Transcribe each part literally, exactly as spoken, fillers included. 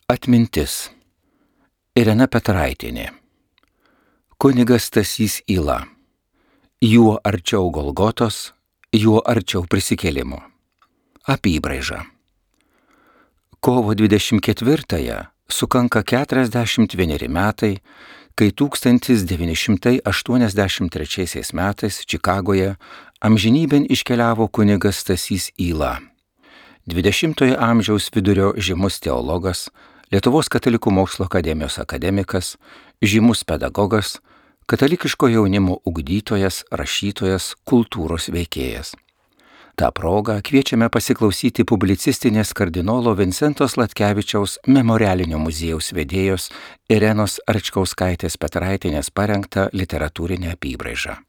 Atmintis. Irena Petraitienė. Kunigas Stasys Yla. Juo arčiau Golgotos, juo arčiau prisikėlimo. Apybraiža. Kovo dvidešimt ketvirtąją sukanka keturiasdešimt vieneri metai, kai tūkstantis devyni šimtai aštuoniasdešimt trečiaisiais metais Čikagoje amžinybėn iškeliavo kunigas Stasys Yla. dvidešimtojo amžiaus vidurio žymus teologas, Lietuvos katalikų mokslo akademijos akademikas, žymus pedagogas, katalikiško jaunimo ugdytojas, rašytojas, kultūros veikėjas. Ta proga kviečiame pasiklausyti publicistinės kardinolo Vincento Sladkevičiaus memorialinio muziejaus vedėjos Irenos Arčkauskaitės Petraitienės parengtą literatūrinę apybraižą.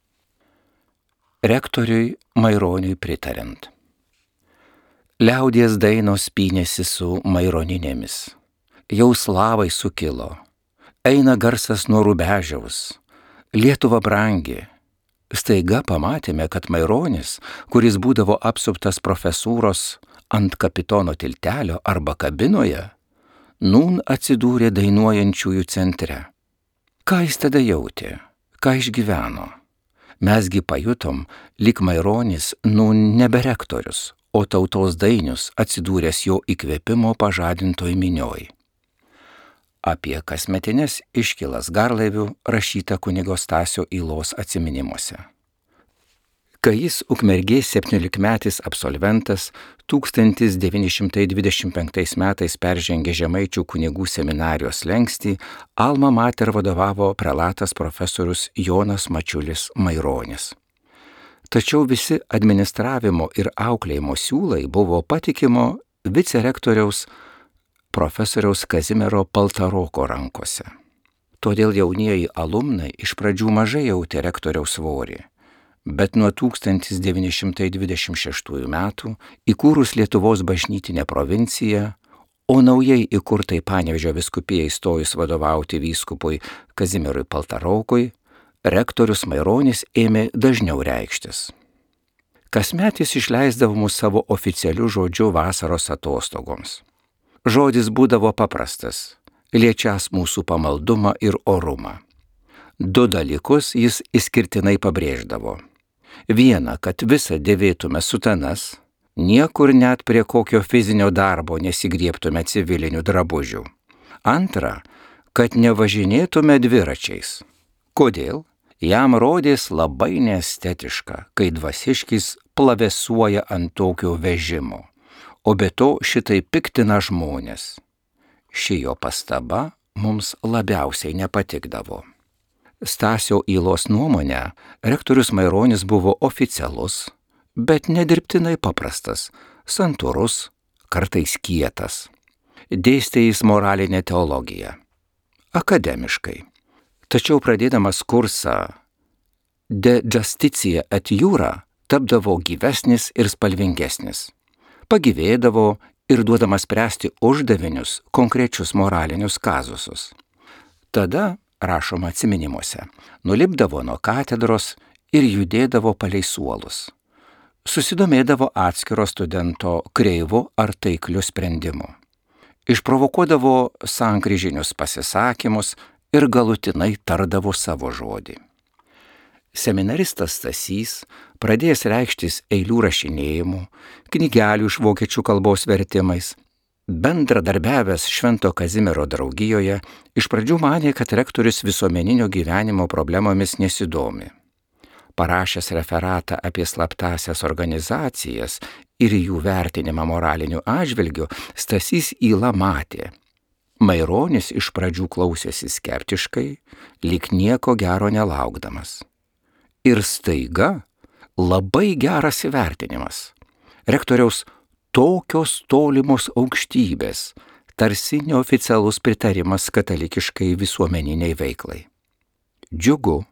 Rektoriui Maironiui pritariant. Liaudies dainos pynėsi su maironinėmis. Jau slavai sukilo. Eina garsas nuo Rubežiaus. Lietuva brangi. Staiga pamatėme, kad Maironis, kuris būdavo apsuptas profesūros ant kapitono tiltelio arba kabinoje, nūn atsidūrė dainuojančiųjų centre. Ką jis tada jautė? Ką išgyveno? Mesgi pajutom, lyg Maironis nūn nebe rektorius, o tautos dainius atsidūręs jo įkvėpimo pažadintoj minioj. Apie kasmetines iškylas garlaivių rašyta kunigo Stasio Ylos atsiminimuose. Kai jis Ukmergės septyniolikmetis absolventas tūkstantis devyni šimtai dvidešimt penktais metais peržengė Žemaičių kunigų seminarijos slenkstį, Alma Mater vadovavo prelatas profesorius Jonas Mačiulis Maironis. Tačiau visi administravimo ir auklėjimo siūlai buvo patikimo vicerektoriaus profesoriaus Kazimiero Paltaroko rankose. Todėl jaunieji alumnai iš pradžių mažai jautė rektoriaus svorį, bet nuo tūkstantis devyni šimtai dvidešimt šeštųjų metų įkūrus Lietuvos bažnytinę provinciją, o naujai įkurtai Panevėžio vyskupijai įstojus vadovauti vyskupui Kazimierui Paltarokui, rektorius Maironis ėmė dažniau reikštis. Kasmet jis išleisdavo mus savo oficialiu žodžiu vasaros atostogoms. Žodis būdavo paprastas, liečias mūsų pamaldumą ir orumą. Du dalykus jis išskirtinai pabrėždavo. Viena, kad visą dėvėtume sutanas, niekur net prie kokio fizinio darbo nesigriebtume civilinių drabužių. Antra, kad nevažinėtume dviračiais. Kodėl? Jam rodės labai neestetiška, kai dvasiškis plavesuoja ant tokio vežimo. O be to šitai piktina žmonės. Ši jo pastaba mums labiausiai nepatikdavo. Stasio Ylos nuomonė, rektorius Maironis buvo oficialus, bet nedirbtinai paprastas, santūrus, kartais kietas. Dėstė jis moralinę teologiją. Akademiškai. Tačiau pradėdamas kursą De Justitia et Jura tapdavo gyvesnis ir spalvingesnis. Pagyvėdavo ir duodamas spręsti uždavinius, konkrečius moralinius kazusus. Tada, rašoma atsiminimuose, nulipdavo nuo katedros ir judėdavo palei suolus. Susidomėdavo atskiro studento kreivu ar taikliu sprendimu. Išprovokuodavo sankryžinius pasisakymus ir galutinai tardavo savo žodį. Seminaristas Stasys, pradėjęs reikštis eilių rašinėjimu, knygelių iš vokiečių kalbos vertimais, bendradarbiavęs Švento Kazimiero draugijoje, iš pradžių manė, kad rektorius visuomeninio gyvenimo problemomis nesidomi. Parašęs referatą apie slaptąsias organizacijas ir jų vertinimą moraliniu atžvilgiu, Stasys Yla matė. Maironis iš pradžių klausėsi skeptiškai, lyg nieko gero nelaukdamas. Ir staiga labai geras įvertinimas. Rektoriaus tokios tolimos aukštybės, tarsi neoficialus pritarimas katalikiškai visuomeniniai veiklai. Džiugu,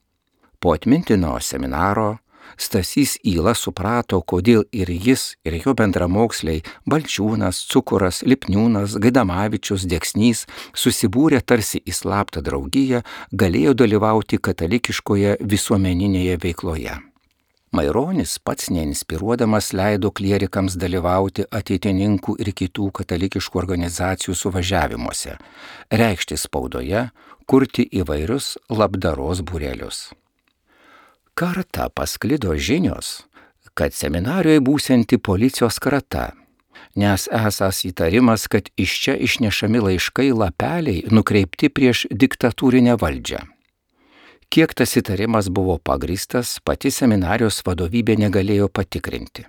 po atmintino seminaro Stasys Yla suprato, kodėl ir jis, ir jo bendramoksliai Balčiūnas, Cukuras, Lipniūnas, Gaidamavičius, Deksnys susibūrė tarsi į slaptą draugiją, galėjo dalyvauti katalikiškoje visuomeninėje veikloje. Maironis pats neinspiruodamas leido klierikams dalyvauti ateitininkų ir kitų katalikiškų organizacijų suvažiavimuose, reikšti spaudoje, kurti įvairius labdaros būrelius. Kartą pasklido žinios, kad seminarijoje būsianti policijos krata, nes esąs įtarimas, kad iš čia išnešami laiškai lapeliai nukreipti prieš diktatūrinę valdžią. Kiek tas įtarimas buvo pagrįstas, pati seminarijos vadovybė negalėjo patikrinti.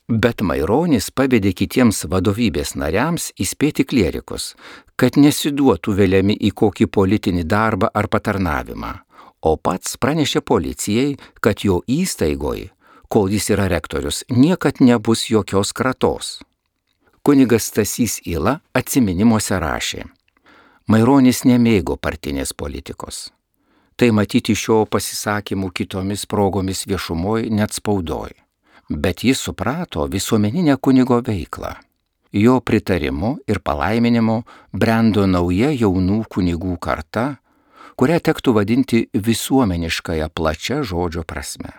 Bet Maironis pavedė kitiems vadovybės nariams įspėti klierikus, kad nesiduotų veliami į kokį politinį darbą ar patarnavimą, o pats pranešė policijai, kad jo įstaigoj, kol jis yra rektorius, niekad nebus jokios kratos. Kunigas Stasys Yla atsiminimuose rašė: Maironis nemėgo partinės politikos. Tai matyti šio pasisakymų kitomis progomis viešumoj net spaudoj. Bet jis suprato visuomeninę kunigo veiklą. Jo pritarimu ir palaiminimu brendo nauja jaunų kunigų karta, kurią tektų vadinti visuomeniškąją plačia žodžio prasme.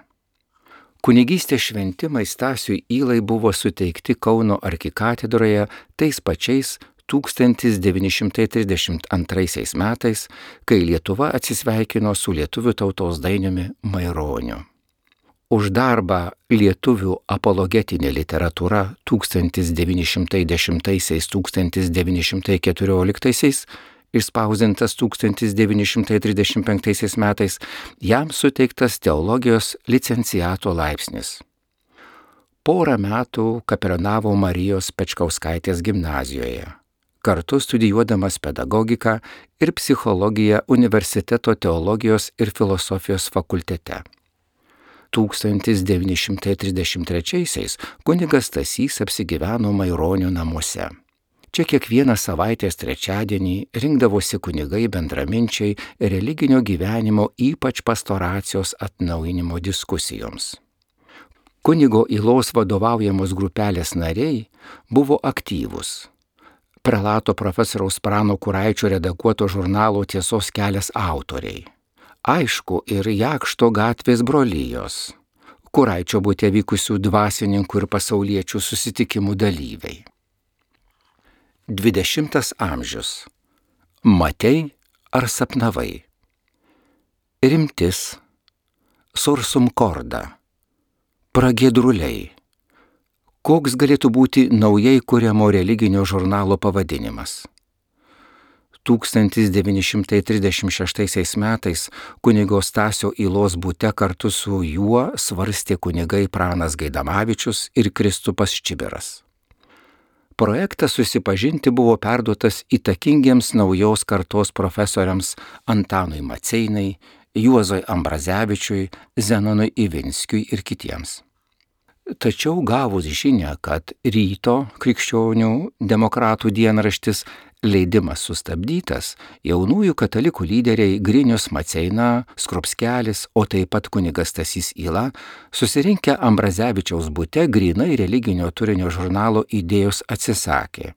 Kunigystės šventimai Stasiui Ylai buvo suteikti Kauno arkikatedroje tais pačiais tūkstantis devyni šimtai trisdešimt antraisiais metais, kai Lietuva atsisveikino su lietuvių tautos dainiumi Maironiu. Už darbą Lietuvių apologetinė literatūra tūkstantis devyni šimtai dešimtaisiais - tūkstantis devyni šimtai keturioliktaisiais, išspausdintas tūkstantis devyni šimtai trisdešimt penktaisiais metais, jam suteiktas teologijos licenciato laipsnis. Porą metų kapelionavo Marijos Pečkauskaitės gimnazijoje, kartu studijuodamas pedagogiką ir psichologiją Universiteto teologijos ir filosofijos fakultete. tūkstantis devyni šimtai trisdešimt trečiaisiais kunigas Stasys apsigyveno Maironio namuose. Čia kiekvieną savaitės trečiadienį rinkdavosi kunigai bendraminčiai religinio gyvenimo, ypač pastoracijos atnaujinimo diskusijoms. Kunigo Ylos vadovaujamos grupelės nariai buvo aktyvūs. Prelato profesoriaus Prano Kuraičio redaguoto žurnalo Tiesos kelias autoriai. Aišku, ir Jakšto gatvės brolijos, Kuraičio bute vykusių dvasininkų ir pasauliečių susitikimų dalyviai. Dvidešimtas amžius. Matei ar sapnavai? Rimtis. Sursum corda. Pragiedruliai. Koks galėtų būti naujai kuriamo religinio žurnalo pavadinimas? tūkstantis devyni šimtai trisdešimt šeštaisiais metais kunigo Stasio Ylos bute kartu su juo svarstė kunigai Pranas Gaidamavičius ir Kristupas Čibiras. Projektas susipažinti buvo perduotas įtakingiems naujos kartos profesoriams Antanui Maceinai, Juozui Ambrazevičiui, Zenonui Ivinskiui ir kitiems. Tačiau gavus žinią, kad Ryto krikščionių demokratų dienraštis leidimas sustabdytas, jaunųjų katalikų lyderiai Grinius Maceina, Skrupskelis, o taip pat kunigas Stasys Yla susirinkę Ambrazevičiaus bute grynai religinio turinio žurnalo idėjos atsisakė.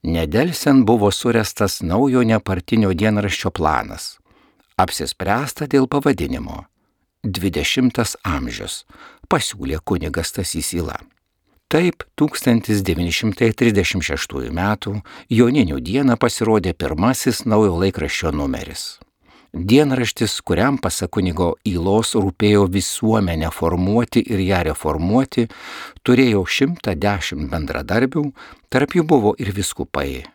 Nedelsiant buvo suręstas naujo nepartinio dienraščio planas. Apsispręsta dėl pavadinimo. Dvidešimtas amžius, pasiūlė kunigas Stasys Yla. Taip, tūkstantis devyni šimtai trisdešimt šeštųjų metų Joninių dieną pasirodė pirmasis naujo laikraščio numeris. Dienraštis, kuriam pasak kunigo Ylos rūpėjo visuomenę formuoti ir ją reformuoti, turėjo šimtą dešimt bendradarbių, tarp jų buvo ir vyskupai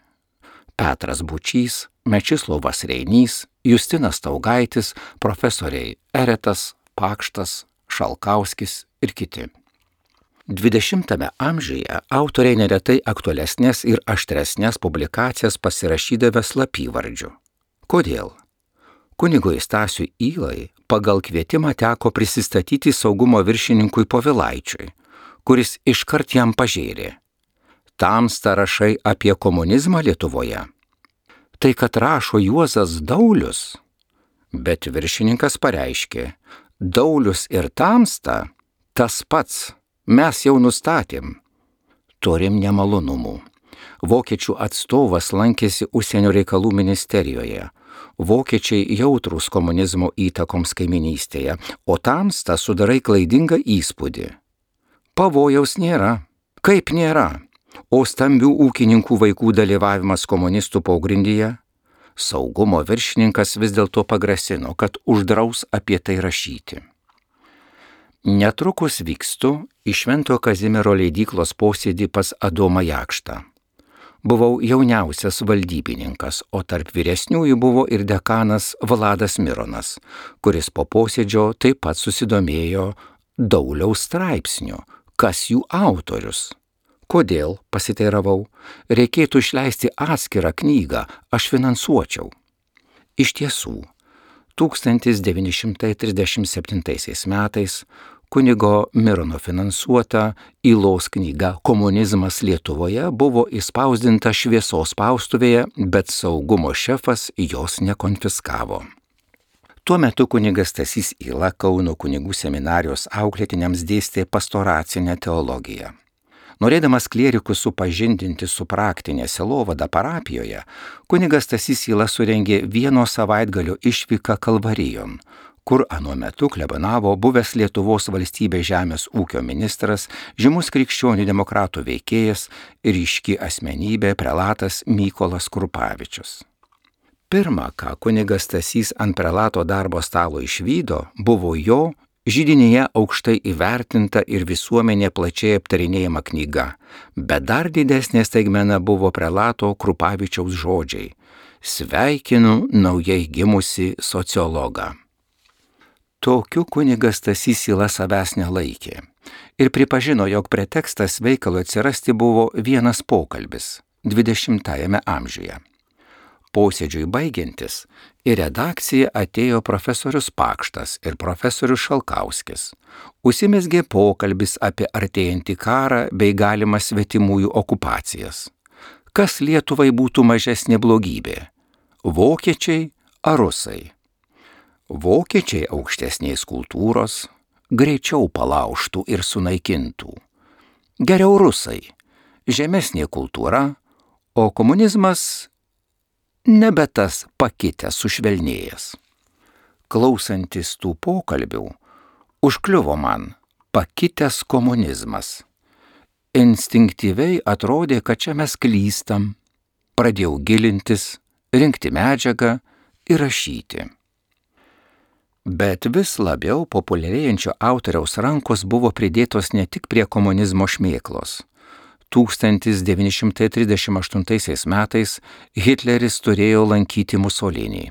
Petras Bučys, Mečislovas Reinys, Justinas Taugaitis, profesoriai Eretas, Pakštas, Šalkauskis ir kiti. Dvidešimtame amžiuje autoriai neretai aktualesnės ir aštresnės publikacijas pasirašydavę slapyvardžiu. Kodėl? Kunigui Stasiui Ylai pagal kvietimą teko prisistatyti saugumo viršininkui Povilaičiui, kuris iškart jam pažėrė. Tamsta rašai apie komunizmą Lietuvoje. Tai kad rašo Juozas Daulius, bet viršininkas pareiškė, Daulius ir Tamsta tas pats, mes jau nustatėm. Turim nemalonumų. Vokiečių atstovas lankėsi užsienio reikalų ministerijoje. Vokiečiai jautrūs komunizmo įtakoms kaiminystėje, o tamsta sudarai klaidingą įspūdį. Pavojaus nėra. Kaip nėra? O stambių ūkininkų vaikų dalyvavimas komunistų pogrindyje? Saugumo viršininkas vis dėlto pagrasino, kad uždraus apie tai rašyti. Netrukus vykstu į Šventojo Kazimiero leidyklos posėdį pas Adomą Jakštą. Buvau jauniausias valdybininkas, o tarp vyresniųjų buvo ir dekanas Vladas Mironas, kuris po posėdžio taip pat susidomėjo Dauliaus straipsniu, kas jų autorius. Kodėl, pasiteiravau, reikėtų išleisti atskirą knygą, aš finansuočiau. Iš tiesų, tūkstantis devyni šimtai trisdešimt septintaisiais metais kunigo Mirono finansuota Ylos knyga Komunizmas Lietuvoje buvo įspausdinta Šviesos spaustuvėje, bet saugumo šefas jos nekonfiskavo. Tuo metu kunigas Stasys Yla Kauno kunigų seminarijos auklėtiniams dėstė pastoracinę teologiją. Norėdamas klierikus supažindinti su praktinė sielovada parapijoje, kunigas Stasys Yla surengė vieno savaitgalio išvyką Kalvarijon, kur anuo metu klebonavo buvęs Lietuvos valstybės žemės ūkio ministras, žymus krikščionių demokratų veikėjas ir ryški asmenybė prelatas Mykolas Krupavičius. Pirma, ką kunigas Stasys ant prelato darbo stalo išvydo, buvo jo židinyje aukštai įvertinta ir visuomenė plačiai aptarinėjama knyga, bet dar didesnė staigmena buvo prelato Krupavičiaus žodžiai: sveikinu naujai gimusi sociologą. Tokiu kunigas Stasys Yla savęs nelaikė ir pripažino, jog pretekstas veikalui atsirasti buvo vienas pokalbis dvidešimtajame amžiuje. Posėdžiui baigiantis į redakciją atėjo profesorius Pakštas ir profesorius Šalkauskis. Užsimezgė pokalbis apie artėjantį karą bei galimas svetimųjų okupacijas. Kas Lietuvai būtų mažesnė blogybė? Vokiečiai ar rusai? Vokiečiai aukštesnės kultūros greičiau palaužtų ir sunaikintų. Geriau rusai, žemesnė kultūra, o komunizmas nebe tas pakitęs sušvelnėjęs. Klausantis tų pokalbių, užkliuvo man pakitęs komunizmas. Instinktyviai atrodė, kad čia mes klystam. Pradėjau gilintis, rinkti medžiagą ir rašyti. Bet vis labiau populiarėjančio autoriaus rankos buvo pridėtos ne tik prie komunizmo šmėklos. tūkstantis devyni šimtai trisdešimt aštuntaisiais metais Hitleris turėjo lankyti Musolinį.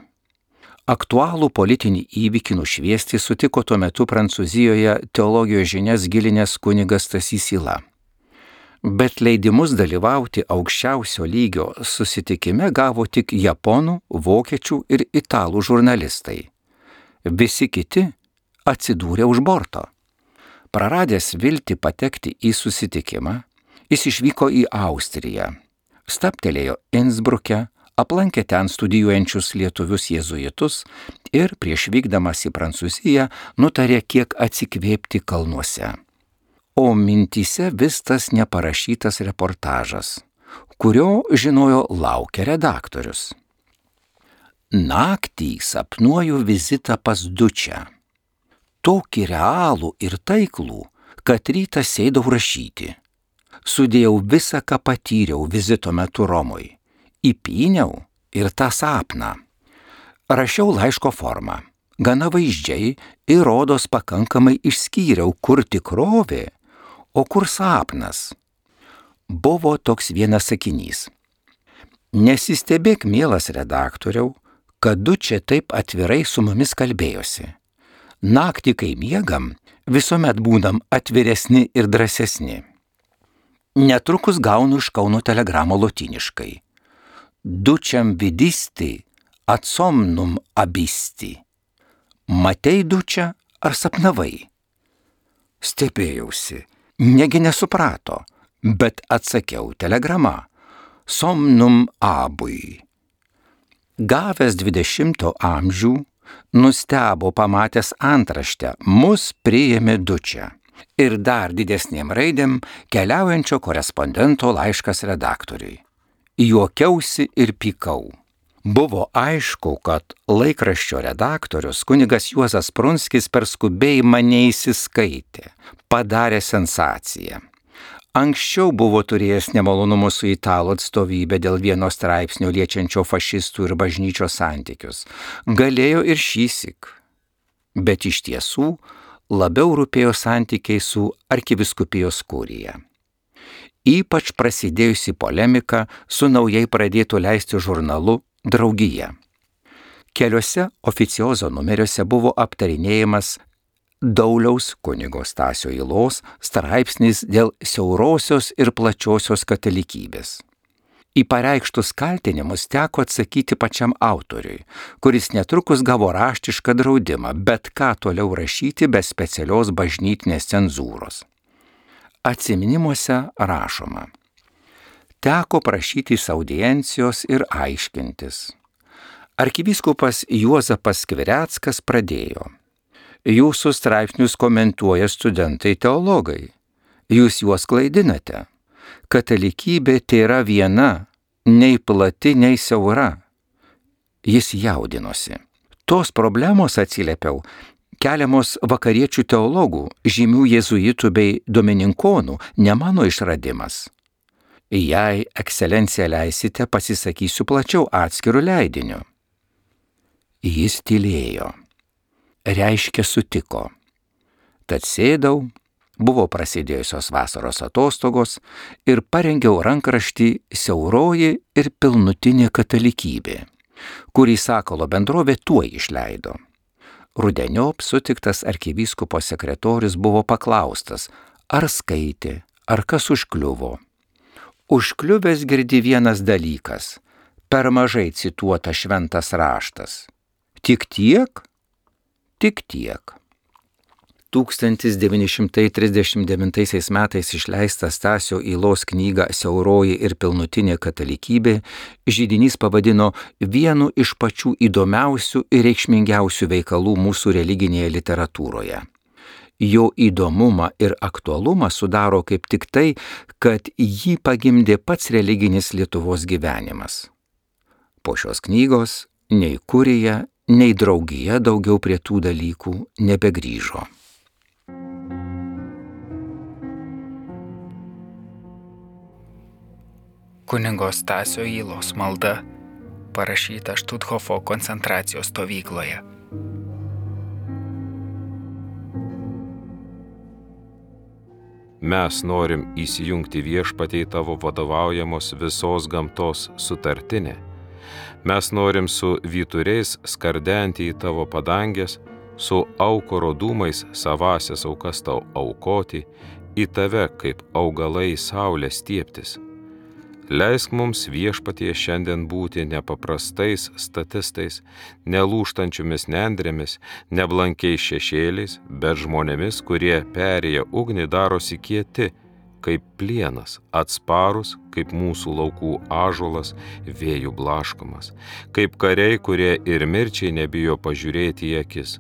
Aktualų politinį įvykį nušviesti sutiko tuo metu Prancūzijoje teologijos žinias gilinęs kunigas Stasys Yla. Bet leidimus dalyvauti aukščiausio lygio susitikime gavo tik japonų, vokiečių ir italų žurnalistai. Visi kiti atsidūrė už borto. Praradęs viltį patekti į susitikimą, jis išvyko į Austriją, stabtelėjo Innsbruke, aplankė ten studijuojančius lietuvius jėzuitus ir prieš vykdamas į Prancūziją nutarė kiek atsikvėpti kalnuose. O mintyse vis tas neparašytas reportažas, kurio, žinojo, laukia redaktorius. Naktį sapnuoju vizitą pas Dučę. Tokį realų ir taiklų, kad rytą sėdau rašyti. Sudėjau visą, ką patyriau vizito metu Romui. Įpyniau ir tą sapną. Rašiau laiško formą. Gana vaizdžiai ir rodos pakankamai išskyriau, kur tikrovė, o kur sapnas. Buvo toks vienas sakinys. Nesistebėk, mielas redaktoriau, kad Dučė taip atvirai su mumis kalbėjosi. Naktį, kai miegam, visuomet būdam atviresni ir drąsesni. Netrukus gaunu iš Kauno telegramą lotyniškai. Dučiam vidisti, ad somnum abisti. Matei Dučę ar sapnavai? Stebėjausi, negi nesuprato, bet atsakiau telegrama. Somnum abui. Gavęs dvidešimto amžių, nustebo pamatęs antraštę, mus priėmė Dučę. Ir dar didesnėm raidėm keliaujančio korespondento laiškas redaktoriui. Juokiausi ir pykau. Buvo aišku, kad laikraščio redaktorius kunigas Juozas Prunskis per skubėjimą neįsiskaitė, padarė sensaciją. Anksčiau buvo turėjęs nemalonumų su italų atstovybė dėl vieno straipsnio liečiančio fašistų ir bažnyčios santykius. Galėjo ir šįsyk. Bet iš tiesų labiau rūpėjo santykiai su arkivyskupijos kurija. Ypač prasidėjusi polemika su naujai pradėtų leisti žurnalu Draugija. Keliuose oficiozo numeriuose buvo aptarinėjimas Dauliaus kunigo Stasio Ylos straipsnis dėl siaurosios ir plačiosios katalikybės. Į pareikštus kaltinimus teko atsakyti pačiam autoriui, kuris netrukus gavo raštišką draudimą, bet ką toliau rašyti be specialios bažnytinės cenzūros. Atsiminimuose rašoma: teko prašytis audiencijos ir aiškintis. Arkivyskupas Juozapas Skvireckas pradėjo: jūsų straipsnius komentuoja studentai teologai. Jūs juos klaidinate. Katalikybė tėra viena, nei plati, nei siaura. Jis jaudinosi. Tos problemos, atsiliepiau, keliamos vakariečių teologų, žymių jėzuitų bei domininkonų, ne mano išradimas. Jei ekscelencija leisite, pasisakysiu plačiau atskirų leidinių. Jis tylėjo. Reiškia sutiko. Tad sėdau, buvo prasidėjusios vasaros atostogos ir parengiau rankraštį Siauroji ir pilnutinė katalikybė, kurį Sakalo bendrovė tuoj išleido. Rudeniop sutiktas arkivyskupo sekretorius buvo paklaustas, ar skaitė, ar kas užkliuvo. Užkliuvęs girdi vienas dalykas, per mažai cituota šventas raštas. Tik tiek? Tik tiek. tūkstantis devyni šimtai trisdešimt devintaisiais metais išleistą Stasio Ylos knygą Siauroji ir pilnutinė katalikybė židinys pavadino vienu iš pačių įdomiausių ir reikšmingiausių veikalų mūsų religinėje literatūroje. Jo įdomumą ir aktualumą sudaro kaip tik tai, kad jį pagimdė pats religinis Lietuvos gyvenimas. Po šios knygos nei kurija, nei draugija daugiau prie tų dalykų nebegrįžo. Kunigo Stasio Ylos malda, parašyta Štuthofo koncentracijos stovykloje. Mes norim įsijungti viešpatie tavo vadovaujamos visos gamtos sutartinę. Mes norim su vyturiais skardenti į tavo padangės, su aukuro dūmais savasias aukas tau aukoti, į tave kaip augalai saulę stieptis. Leisk mums viešpatie šiandien būti nepaprastais statistais, nelūžtančiomis nendrėmis, neblankiais šešėliais, bet žmonėmis, kurie perėję ugnį darosi kieti, kaip plienas, atsparus, kaip mūsų laukų ąžuolas, vėjų blaškomas, kaip kariai, kurie ir mirčiai nebijo pažiūrėti į akis.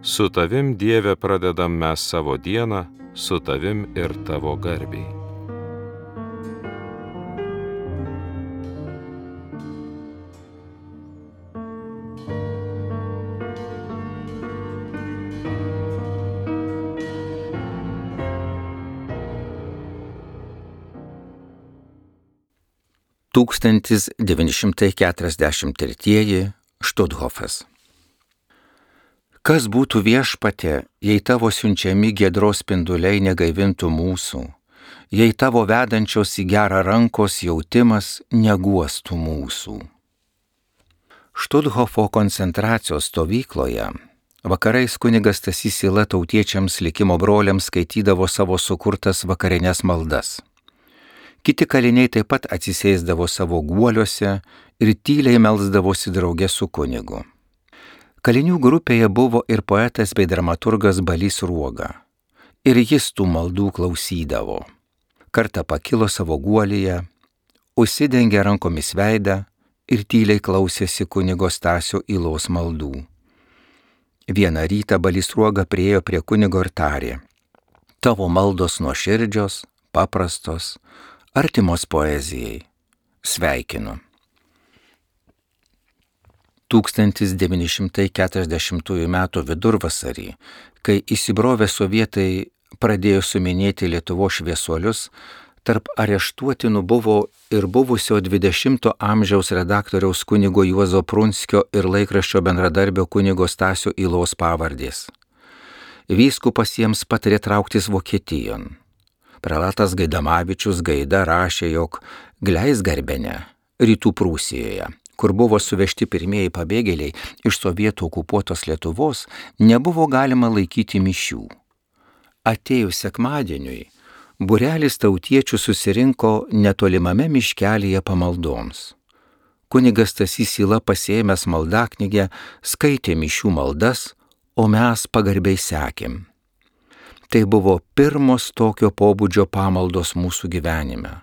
Su tavim, Dieve, pradedam mes savo dieną, su tavim ir tavo garbei. tūkstantis devyni šimtai keturiasdešimt tretieji Štuthofas. Kas būtų viešpatie, jei tavo siunčiami giedros spinduliai negaivintų mūsų, jei tavo vedančios į gerą rankos jautimas neguostų mūsų. Štuthofo koncentracijos stovykloje vakarais kunigas Stasys Yla tautiečiams likimo broliams skaitydavo savo sukurtas vakarines maldas. Kiti kaliniai taip pat atsisėsdavo savo guoliuose ir tyliai melsdavosi drauge su kunigu. Kalinių grupėje buvo ir poetas bei dramaturgas Balys Sruoga. Ir jis tų maldų klausydavo. Kartą pakilo savo guolyje, užsidengė rankomis veidą ir tyliai klausėsi kunigo Stasio Ylos maldų. Vieną rytą Balys Sruoga priėjo prie kunigo ir tarė: tavo maldos nuoširdžios, paprastos, artimos poezijai. Sveikinu. tūkstantis devyni šimtai keturiasdešimtųjų metų vidurvasarį, kai įsibrovę sovietai pradėjo suminėti Lietuvos šviesuolius, tarp areštuotinų buvo ir buvusio dvidešimto amžiaus redaktoriaus kunigo Juozo Prunskio ir laikraščio bendradarbio kunigo Stasio Ylos pavardės. Vyskupas jiems patarė trauktis Vokietijon. Prelatas Gaidamavičius Gaida rašė, jog Gleisgarbene, rytų Prūsijoje, kur buvo suvežti pirmieji pabėgėliai iš sovietų okupuotos Lietuvos, nebuvo galima laikyti mišių. Atėjus sekmadieniui, būrelis tautiečių susirinko netolimame miškelyje pamaldoms. Kunigas Stasys Yla pasiėmęs maldaknygę skaitė mišių maldas, o mes pagarbiai sekėm. Tai buvo pirmos tokio pobūdžio pamaldos mūsų gyvenime.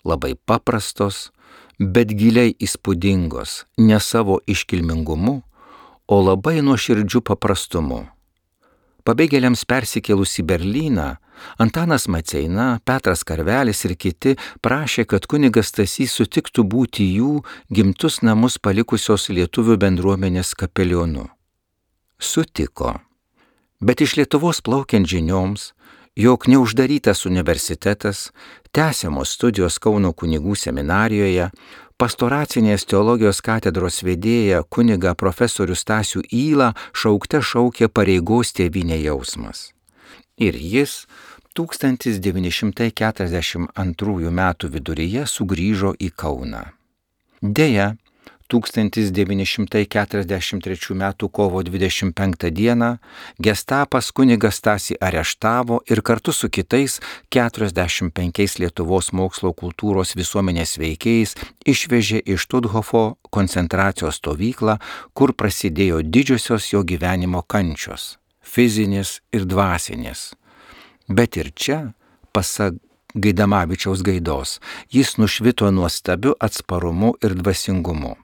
Labai paprastos, bet giliai įspūdingos, ne savo iškilmingumu, o labai nuoširdžiu paprastumu. Pabėgėliams persikėlus į Berlyną, Antanas Maceina, Petras Karvelis ir kiti prašė, kad kunigas Stasys sutiktų būti jų gimtus namus palikusios lietuvių bendruomenės kapelionu. Sutiko, bet iš Lietuvos plaukiant žinioms, jog neuždarytas universitetas, tęsiamos studijos Kauno kunigų seminarijoje, pastoracinės teologijos katedros vedėja kuniga profesorių Stasių Ylą šaukte šaukė pareigos tėvynė jausmas. Ir jis tūkstantis devyni šimtai keturiasdešimt antrųjų metų viduryje sugrįžo į Kauną. Deja, tūkstantis devyni šimtai keturiasdešimt trečių metų kovo dvidešimt penktą dieną gestapas kunigą Stasį areštavo ir kartu su kitais keturiasdešimt penkiais Lietuvos mokslo kultūros visuomenės veikėjais išvežė į Štuthofo koncentracijos stovyklą, kur prasidėjo didžiosios jo gyvenimo kančios - fizinės ir dvasinės. Bet ir čia, pasak Gaidamavičiaus Gaidos, jis nušvito nuostabiu atsparumu ir dvasingumu.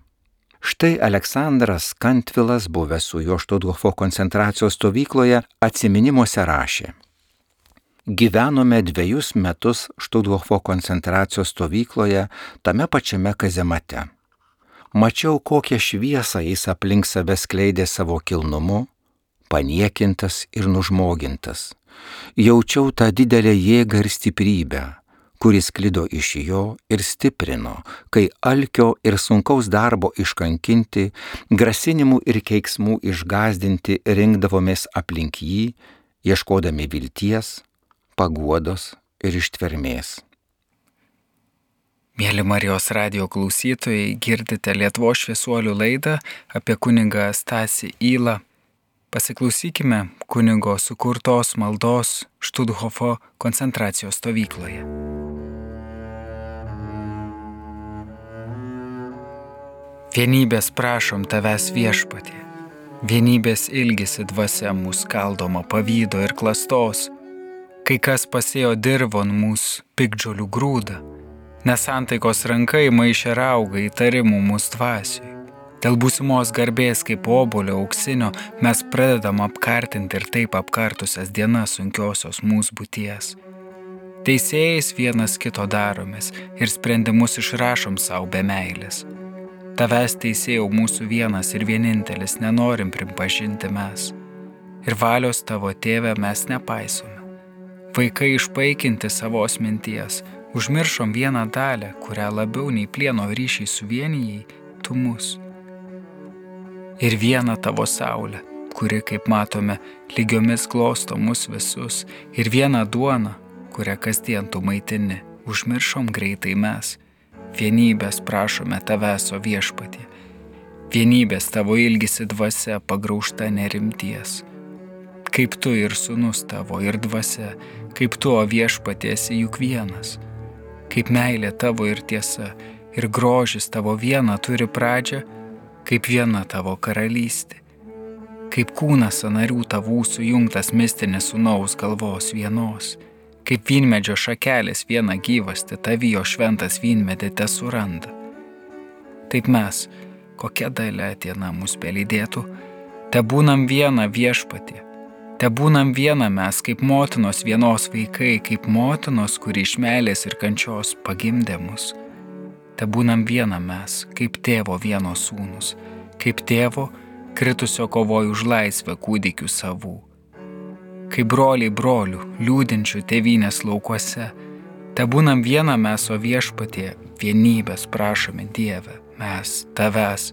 Štai Aleksandras Kantvilas, buvęs su juo Štuthofo koncentracijos stovykloje, atsiminimuose rašė: Gyvenome dviejus metus Štuthofo koncentracijos stovykloje, tame pačiame kazemate. Mačiau, kokią šviesą jis aplink save skleidė savo kilnumu, paniekintas ir nužmogintas. Jaučiau tą didelę jėgą ir stiprybę, kuris sklido iš jo ir stiprino, kai alkio ir sunkaus darbo iškankinti, grasinimų ir keiksmų išgąsdinti rinkdavomės aplink jį, ieškodami vilties, paguodos ir ištvermės. Mėly Marijos radijo klausytojai, girdite Lietuvos šviesuolių laidą apie kunigą Stasį Ylą. Pasiklausykime kunigo sukurtos maldos Štuthofo koncentracijos stovykloje. Vienybės prašom tavęs viešpatie, vienybės ilgisi dvasia mūsų skaldoma pavydo ir klastos, kai kas pasėjo dirvon mūsų piktžolių grūdą, nesantaikos rankai maišė rauga įtarimų mūsų dvasiui. Dėl būsimos garbės kaip obolio auksinio mes pradedam apkartinti ir taip apkartusias dienas sunkiosios mūsų būties. Teisėjais vienas kito daromės ir sprendimus išrašom savo be meilės. Tavęs teisėjau mūsų vienas ir vienintelis nenorim pripažinti mes. Ir valios tavo tėve mes nepaisome. Vaikai išpaikinti savos minties, užmiršom vieną dalę, kurią labiau nei plieno ryšiai suvienijai, tu mus. Ir vieną tavo saulę, kuri, kaip matome, lygiomis glosto mus visus, ir vieną duoną, kurią kasdien tu maitini, užmiršom greitai mes. Vienybės prašome tavęs, o viešpatie. Vienybės tavo ilgisi dvasia pagraužta nerimties. Kaip tu ir sūnus tavo ir dvasia, kaip tu, o viešpatie, esi juk vienas. Kaip meilė tavo ir tiesa, ir grožis tavo viena turi pradžią, kaip viena tavo karalystė. Kaip kūnas sanarių tavų sujungtas mistinis sūnaus galvos vienos. Kaip vynmedžio šakelės viena gyvasti, tavijo šventas vynmedė te suranda. Taip mes, kokia dalia diena mus pelydėtų, te būnam viena viešpatie, te būnam viena mes, kaip motinos vienos vaikai, kaip motinos, kuri iš meilės ir kančios pagimdė mus. Te būnam viena mes, kaip tėvo vienos sūnus, kaip tėvo, kritusio kovoju už laisvę kūdikių savų. Kaip broliai brolių, liūdinčių tėvynės laukuose, tebūnam viena mes, o Viešpatie, vienybės prašome Dieve, mes tavęs.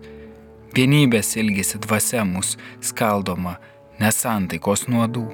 Vienybės ilgisi dvasia mus skaldoma nesantaikos nuodų.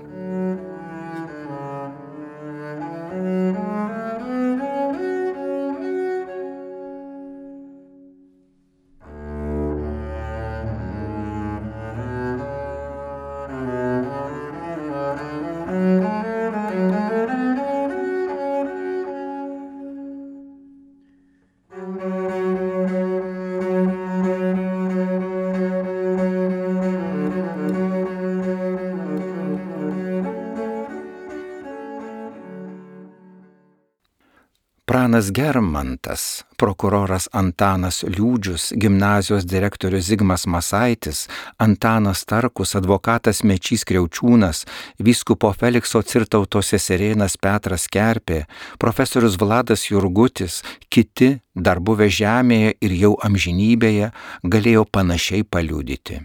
Pranas Germantas, prokuroras Antanas Liūdžius, gimnazijos direktorius Zigmas Masaitis, Antanas Tarkus, advokatas Mečys Kriaučiūnas, vyskupo Felikso Cirtauto seserėnas Petras Kerpė, profesorius Vladas Jurgutis, kiti, dar buvę žemėje ir jau amžinybėje, galėjo panašiai paliudyti.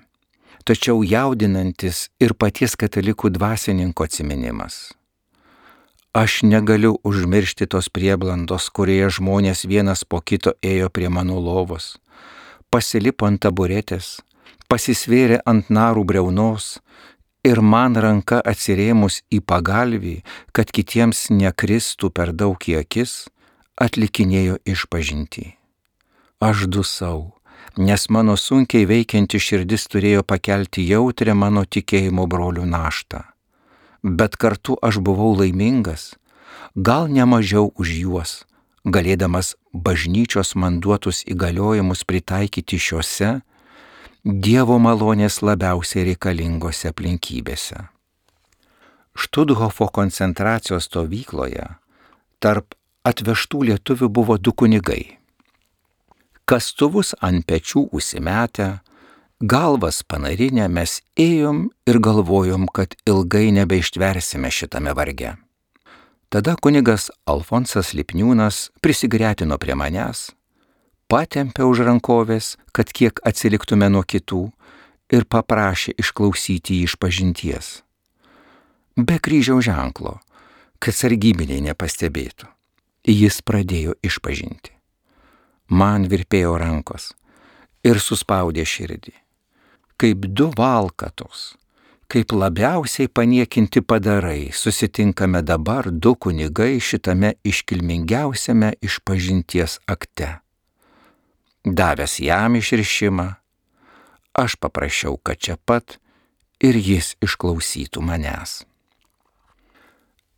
Tačiau jaudinantis ir paties katalikų dvasininko atsiminimas. Aš negaliu užmiršti tos prieblandos, kurioje žmonės vienas po kito ėjo prie mano lovos, pasilipo ant taburetės, pasisvėrė ant narų briaunos ir man ranka atsirėmus į pagalvį, kad kitiems nekristų per daug į akis, atlikinėjo išpažintį. Aš dusau, nes mano sunkiai veikianti širdis turėjo pakelti jautrią mano tikėjimo brolių naštą. Bet kartu aš buvau laimingas, gal ne mažiau už juos, galėdamas bažnyčios man duotus įgaliojimus pritaikyti šiuose Dievo malonės labiausiai reikalingose aplinkybėse. Štuthofo koncentracijos stovykloje tarp atvežtų lietuvių buvo du kunigai. Kastuvus ant pečių užsimetę, galvas panarinę mes ėjom ir galvojom, kad ilgai nebeištversime šitame varge. Tada kunigas Alfonsas Lipniūnas prisigretino prie manęs, patempė už rankovės, kad kiek atsiliktume nuo kitų ir paprašė išklausyti jį išpažinties. Be kryžiaus ženklo, kad sargybiniai nepastebėtų. Jis pradėjo išpažinti. Man virpėjo rankos ir suspaudė širdį. Kaip du valkatos, kaip labiausiai paniekinti padarai, susitinkame dabar du kunigai šitame iškilmingiausiame išpažinties akte. Davęs jam išrišimą, aš paprašiau, kad čia pat ir jis išklausytų manęs.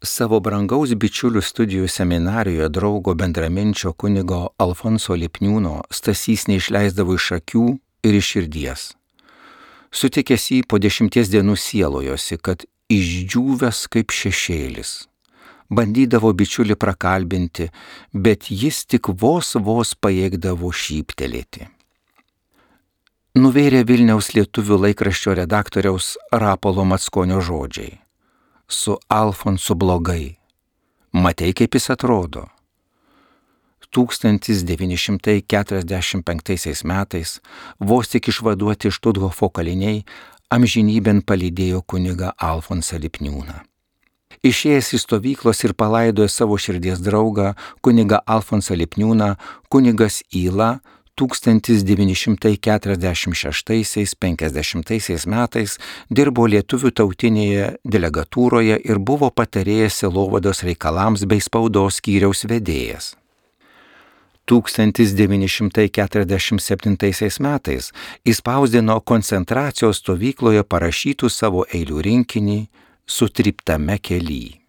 Savo brangaus bičiulių studijų seminarijoje draugo bendraminčio kunigo Alfonso Lipniūno Stasys neišleisdavo iš akių ir iš širdies. Sutikęs jį po dešimties dienų sielojosi, kad išdžiūvęs kaip šešėlis. Bandydavo bičiulį prakalbinti, bet jis tik vos vos pajėgdavo šyptelėti. Nuvėrė Vilniaus lietuvių laikraščio redaktoriaus Rapolo Mackonio žodžiai. Su Alfonsu blogai. Matei, kaip jis atrodo. tūkstantis devyni šimtai keturiasdešimt penktaisiais metais, vos tik išvaduoti iš Štuthofo kaliniai, amžinybėn palydėjo kunigą Alfonsą Lipniūną. Išėjęs iš stovyklos ir palaidojo savo širdies draugą, kunigą Alfonsą Lipniūną, kunigas Yla tūkstantis devyni šimtai keturiasdešimt šeštaisiais penkiasdešimtaisiais metais dirbo lietuvių tautinėje delegatūroje ir buvo patarėjas sielovados reikalams bei spaudos skyriaus vedėjas. tūkstantis devyni šimtai keturiasdešimt septintaisiais metais įspausdino koncentracijos stovykloje parašytų savo eilių rinkinį Sutryptame kely.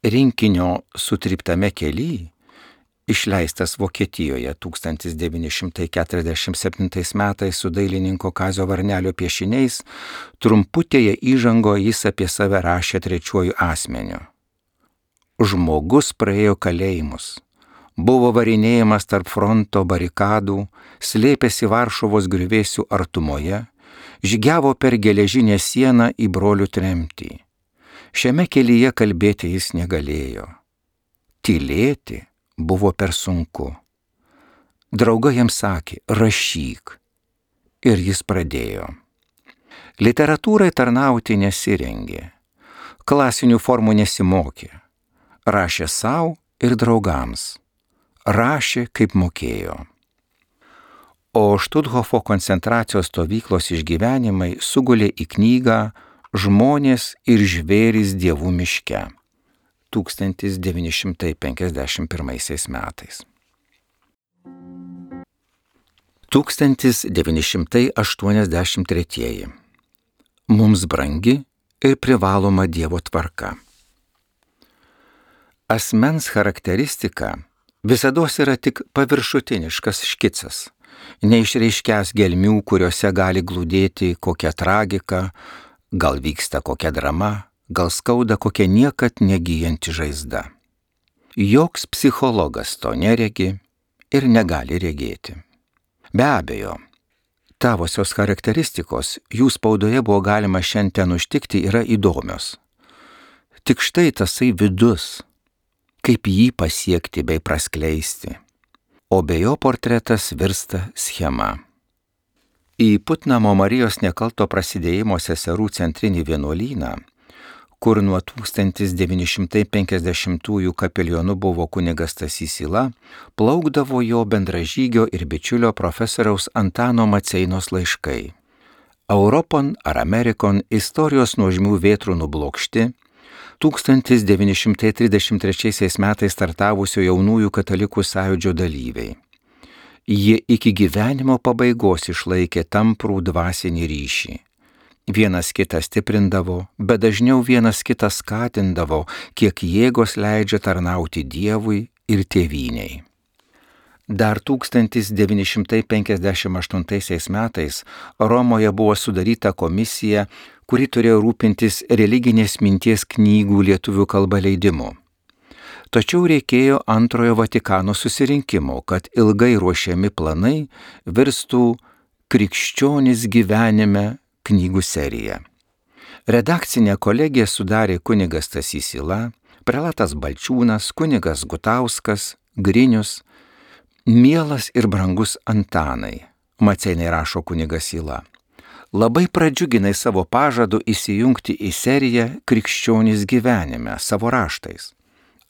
Rinkinio Sutryptame kely, išleistas Vokietijoje tūkstantis devyni šimtai keturiasdešimt septintais metais su dailininko Kazio Varnelio piešiniais, trumputėje įžangoje jis apie save rašė trečiuoju asmeniu. Žmogus praėjo kalėjimus. Buvo varinėjimas tarp fronto barikadų, slėpėsi Varšuvos griuvėsių artumoje, žygiavo per geležinę sieną į brolių tremtį. Šiame kelyje kalbėti jis negalėjo. Tylėti buvo per sunku. Draugai jam sakė, rašyk. ir jis pradėjo. Literatūrai tarnauti nesirengė, klasinių formų nesimokė, rašė savo ir draugams, rašė kaip mokėjo. O Štuthofo koncentracijos stovyklos išgyvenimai sugulė į knygą Žmonės ir žvėrys dievų miške tūkstantis devyni šimtai penkiasdešimt pirmaisiais metais. tūkstantis devyni šimtai aštuoniasdešimt tretieji. Mums brangi ir privaloma Dievo tvarka. Asmens charakteristika visados yra tik paviršutiniškas škicas, neišreiškęs gelmių, kuriuose gali glūdėti kokia tragika, gal vyksta kokia drama, gal skauda kokia niekad negyjanti žaizda. Joks psichologas to neregi ir negali regėti. Be abejo, tavosios charakteristikos jų spaudoje buvo galima šiandien užtikti yra įdomios. Tik štai tasai vidus, kaip jį pasiekti bei praskleisti, o be jo portretas virsta schema. Į Putnamo Marijos nekalto prasidėjimo seserų centrinį vienuolyną, kur nuo tūkstantis devyni šimtai penkiasdešimtųjų kapelionu buvo kunigas Stasys Yla, plaukdavo jo bendražygio ir bičiulio profesoriaus Antano Maceinos laiškai. Europon ar Amerikon istorijos nuožmių vėtrų nublokšti, tūkstantis devyni šimtai trisdešimt trečiaisiais metais startavusio jaunųjų katalikų sąjūdžio dalyviai. Jie iki gyvenimo pabaigos išlaikė tamprų dvasinį ryšį. Vienas kitą stiprindavo, bet dažniau vienas kitą skatindavo, kiek jėgos leidžia tarnauti Dievui ir tėvynei. Dar tūkstantis devyni šimtai penkiasdešimt aštuntaisiais metais Romoje buvo sudaryta komisija, kuri turėjo rūpintis religinės minties knygų lietuvių kalba leidimu. Tačiau reikėjo antrojo Vatikano susirinkimo, kad ilgai ruošiami planai virstų Krikščionys gyvenime knygų serija. Redakcinę kolegiją sudarė kunigas Stasys Yla, prelatas Balčiūnas, kunigas Gutauskas, Grinius, mielas ir brangus Antanai, Maceinai rašo kunigas Yla. Labai pradžiuginai savo pažadu įsijungti į seriją Krikščionys gyvenime savo raštais.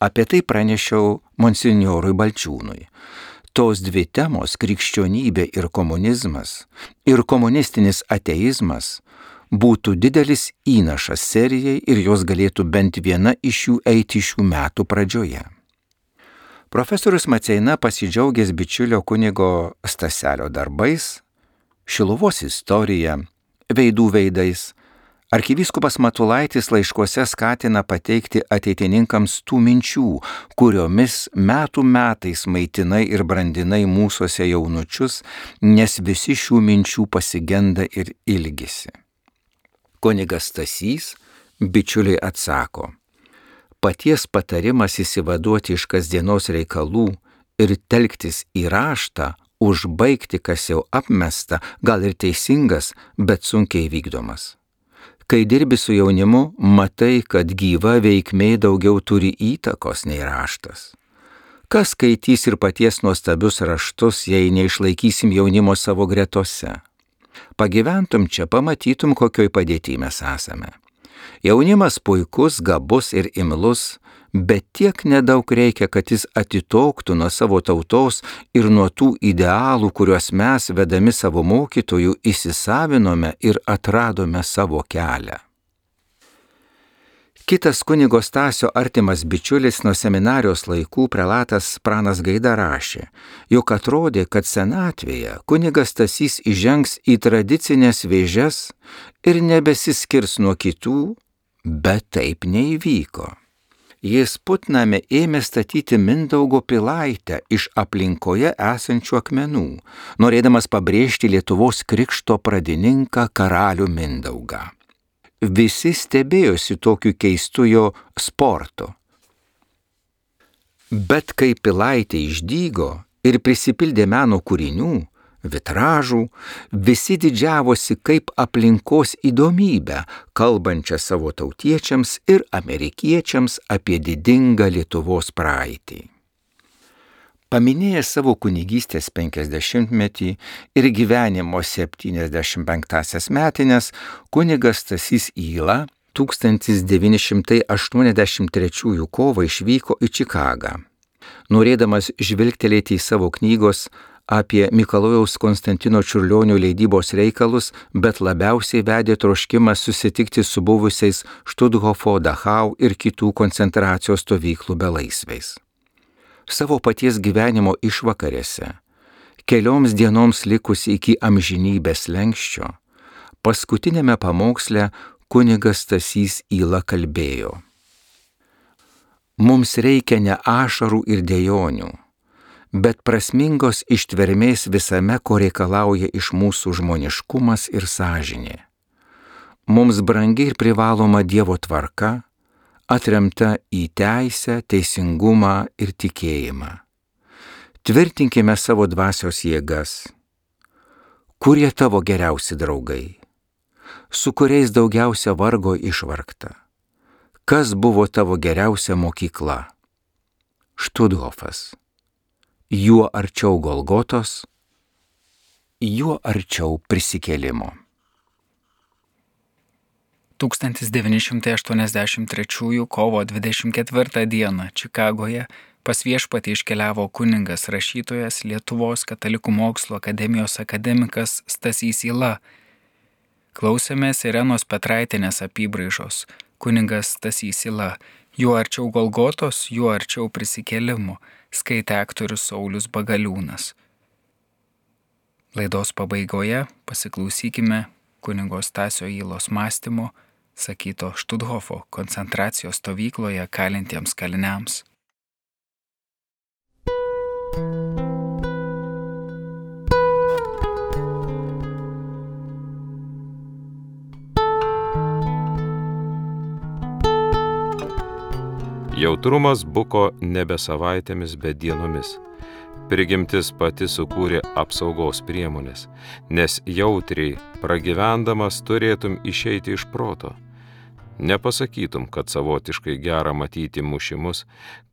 Apie tai pranešiau monsinjorui Balčiūnui. Tos dvi temos, krikščionybė ir komunizmas, ir komunistinis ateizmas, būtų didelis įnašas serijai ir jos galėtų bent viena iš jų eiti šių metų pradžioje. Profesorius Maceina pasidžiaugęs bičiulio kunigo Staselio darbais, Šiluvos istorija, veidų veidais, arkivyskupas Matulaitis laiškuose skatina pateikti ateitininkams tų minčių, kuriomis metų metais maitinai ir brandinai mūsuose jaunučius, nes visi šių minčių pasigenda ir ilgisi. Kunigas Stasys bičiuliai atsako, paties patarimas įsivaduoti iš kasdienos reikalų ir telktis į raštą, užbaigti kas jau apmesta, gal ir teisingas, bet sunkiai vykdomas. Kai dirbi su jaunimu, matai, kad gyva veikmė daugiau turi įtakos nei raštas. Kas skaitys ir paties nuostabius raštus, jei neišlaikysim jaunimo savo gretose? Pagyventum čia, pamatytum, kokioj padėty mes esame. Jaunimas puikus, gabus ir imlus, bet tiek nedaug reikia, kad jis atitoktų nuo savo tautos ir nuo tų idealų, kuriuos mes, vedami savo mokytojų, įsisavinome ir atradome savo kelią. Kitas kunigo Stasio artimas bičiulis nuo seminarijos laikų prelatas Pranas Gaida rašė, jog atrodė, kad senatvėje kunigas Stasys įžengs į tradicinės vėžes ir nebesiskirs nuo kitų, bet taip neįvyko. Jis Putname ėmė statyti Mindaugo pilaitę iš aplinkoje esančių akmenų, norėdamas pabrėžti Lietuvos krikšto pradininką karalių Mindaugą. Visi stebėjosi tokiu keistu jo sportu. Bet kai pilaitė išdygo ir prisipildė meno kūrinių, vitražų, visi didžiavosi kaip aplinkos įdomybę, kalbančią savo tautiečiams ir amerikiečiams apie didingą Lietuvos praeitį. Paminėjęs savo kunigystės penkiasdešimtmetį ir gyvenimo septyniasdešimt penktąsias metines, kunigas Stasys Yla tūkstantis devyni šimtai aštuoniasdešimt trečiųjų kovą išvyko į Čikagą. Norėdamas žvilgtelėti į savo knygos apie Mikalojaus Konstantino Čiurlionio leidybos reikalus, bet labiausiai vedė troškimas susitikti su buvusiais Štuthofo, Dachau ir kitų koncentracijos stovyklų belaisviais. Savo paties gyvenimo išvakarėse, kelioms dienoms likus iki amžinybės slenksčio, paskutinėme pamoksle kunigas Stasys Yla kalbėjo: Mums reikia ne ašarų ir dejonių, bet prasmingos ištvermės visame, ko reikalauja iš mūsų žmoniškumas ir sąžinė. Mums brangi ir privaloma Dievo tvarka, atremta į teisę, teisingumą ir tikėjimą. Tvirtinkime savo dvasios jėgas. Kurie tavo geriausi draugai? Su kuriais daugiausia vargo išvargta? Kas buvo tavo geriausia mokykla? Štuthofas. Juo arčiau Golgotos, juo arčiau prisikėlimo. tūkstantis devyni šimtai aštuoniasdešimt trečiųjų kovo dvidešimt ketvirtą dieną Čikagoje pas Viešpatį iškeliavo kunigas rašytojas Lietuvos katalikų mokslo akademijos akademikas Stasys Yla. Klausėmės Irenos Petraitienės apybraižos kunigas Stasys Yla. Juo arčiau Golgotos, juo arčiau prisikėlimo, skaitė aktorius Saulius Bagaliūnas. Laidos pabaigoje pasiklausykime kunigo Stasio Ylos mąstymo, sakyto Štuthofo koncentracijos stovykloje kalintiems kaliniams. Jautrumas buko nebe savaitėmis, bet dienomis. Prigimtis pati sukūrė apsaugos priemonės, nes jautriai pragyvendamas turėtum išeiti iš proto. Nepasakytum, kad savotiškai gera matyti mušimus,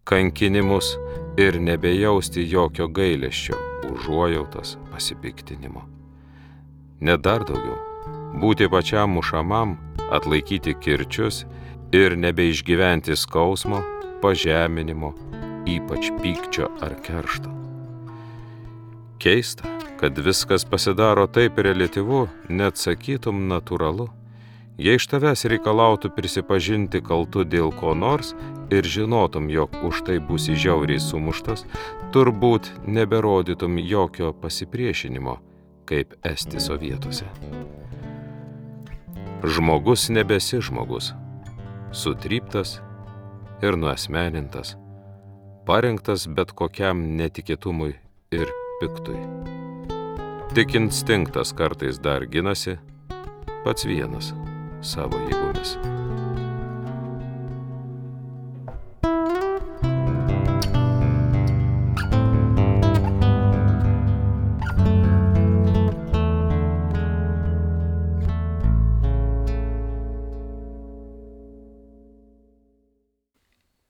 kankinimus ir nebejausti jokio gailesčio, užuojautos, pasipiktinimo. Net dar daugiau, būti pačiam mušamam, atlaikyti kirčius ir nebeišgyventi skausmo, pažeminimo, ypač pykčio ar keršto. Keista, kad viskas pasidaro taip reliatyvu, net sakytum natūralu. Jei iš tavęs reikalautų prisipažinti kaltu dėl ko nors ir žinotum, jog už tai būsi žiauriai sumuštas, turbūt neberodytum jokio pasipriešinimo, kaip esti sovietuose. Žmogus nebesi žmogus, sutryptas ir nuasmenintas, parengtas bet kokiam netikėtumui ir piktui. Tik instinktas kartais dar ginasi, pats vienas, savo jėgomis.